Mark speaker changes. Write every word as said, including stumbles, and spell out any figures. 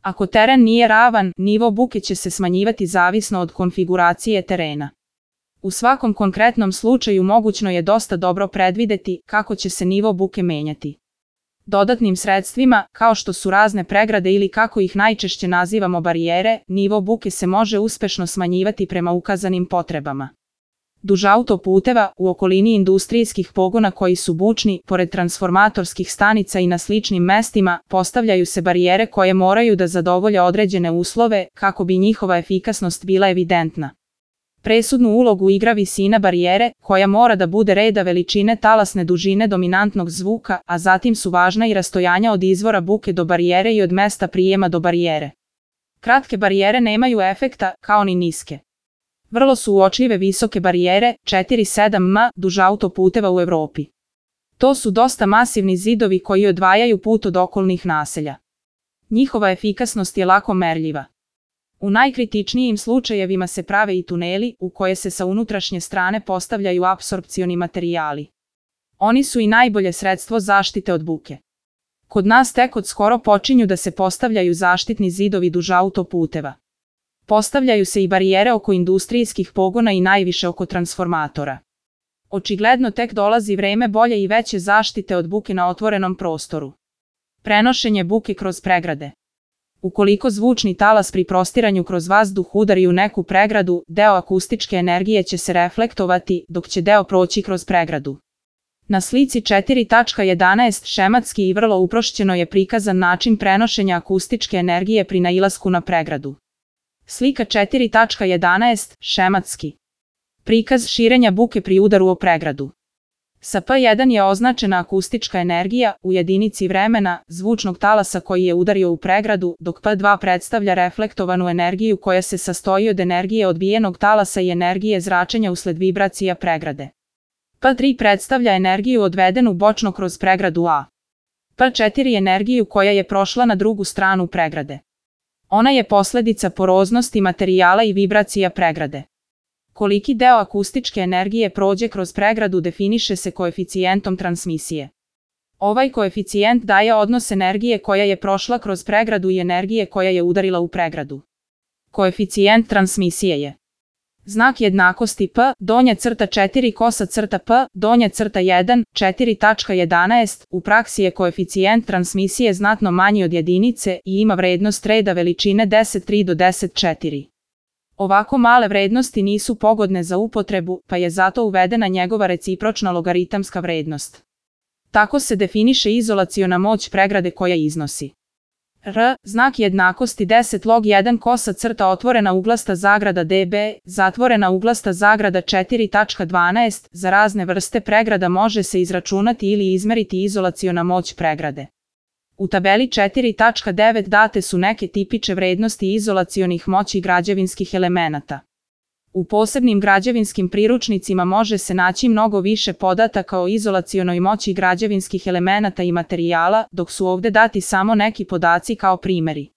Speaker 1: Ako teren nije ravan, nivo buke će se smanjivati zavisno od konfiguracije terena. U svakom konkretnom slučaju mogućno je dosta dobro predvideti kako će se nivo buke menjati. Dodatnim sredstvima, kao što su razne pregrade ili kako ih najčešće nazivamo barijere, nivo buke se može uspešno smanjivati prema ukazanim potrebama. Duž autoputeva, u okolini industrijskih pogona koji su bučni, pored transformatorskih stanica i na sličnim mestima, postavljaju se barijere koje moraju da zadovolje određene uslove kako bi njihova efikasnost bila evidentna. Presudnu ulogu igra visina barijere, koja mora da bude reda veličine talasne dužine dominantnog zvuka, a zatim su važna i rastojanja od izvora buke do barijere i od mesta prijema do barijere. Kratke barijere nemaju efekta, kao ni niske. Vrlo su uočljive visoke barijere, četiri sedam metara, duž autoputeva u Evropi. To su dosta masivni zidovi koji odvajaju put od okolnih naselja. Njihova efikasnost je lako merljiva. U najkritičnijim slučajevima se prave i tuneli, u koje se sa unutrašnje strane postavljaju apsorpcioni materijali. Oni su i najbolje sredstvo zaštite od buke. Kod nas tek od skoro počinju da se postavljaju zaštitni zidovi duž autoputeva. Postavljaju se i barijere oko industrijskih pogona i najviše oko transformatora. Očigledno tek dolazi vreme bolje i veće zaštite od buke na otvorenom prostoru. Prenošenje buke kroz pregrade. Ukoliko zvučni talas pri prostiranju kroz vazduh udari u neku pregradu, deo akustičke energije će se reflektovati, dok će deo proći kroz pregradu. Na slici četiri tačka jedanaest šematski i vrlo uprošćeno je prikazan način prenošenja akustičke energije pri nailasku na pregradu. Slika četiri tačka jedanaest šematski. Prikaz širenja buke pri udaru o pregradu. Sa P jedan je označena akustička energija u jedinici vremena zvučnog talasa koji je udario u pregradu, dok P dva predstavlja reflektovanu energiju koja se sastoji od energije odbijenog talasa i energije zračenja usled vibracija pregrade. P tri predstavlja energiju odvedenu bočno kroz pregradu A. P četiri energiju koja je prošla na drugu stranu pregrade. Ona je posledica poroznosti materijala i vibracija pregrade. Koliki deo akustičke energije prođe kroz pregradu definiše se koeficijentom transmisije. Ovaj koeficijent daje odnos energije koja je prošla kroz pregradu i energije koja je udarila u pregradu. Koeficijent transmisije je znak jednakosti P, donja crta četiri kosa crta P, donja crta jedan, četiri tačka jedanaest, u praksi je koeficijent transmisije znatno manji od jedinice i ima vrednost reda veličine deset tri do deset četiri. Ovako male vrednosti nisu pogodne za upotrebu, pa je zato uvedena njegova recipročna logaritamska vrednost. Tako se definiše izolaciona moć pregrade koja iznosi R, znak jednakosti deset log jedan kosa crta otvorena uglasta zagrada dB, zatvorena uglasta zagrada četiri tačka dvanaest, za razne vrste pregrada može se izračunati ili izmeriti izolaciona moć pregrade. U tabeli četiri tačka devet date su neke tipične vrednosti izolacionih moći građevinskih elemenata. U posebnim građevinskim priručnicima može se naći mnogo više podataka o izolacionoj moći građevinskih elemenata i materijala, dok su ovde dati samo neki podaci kao primeri.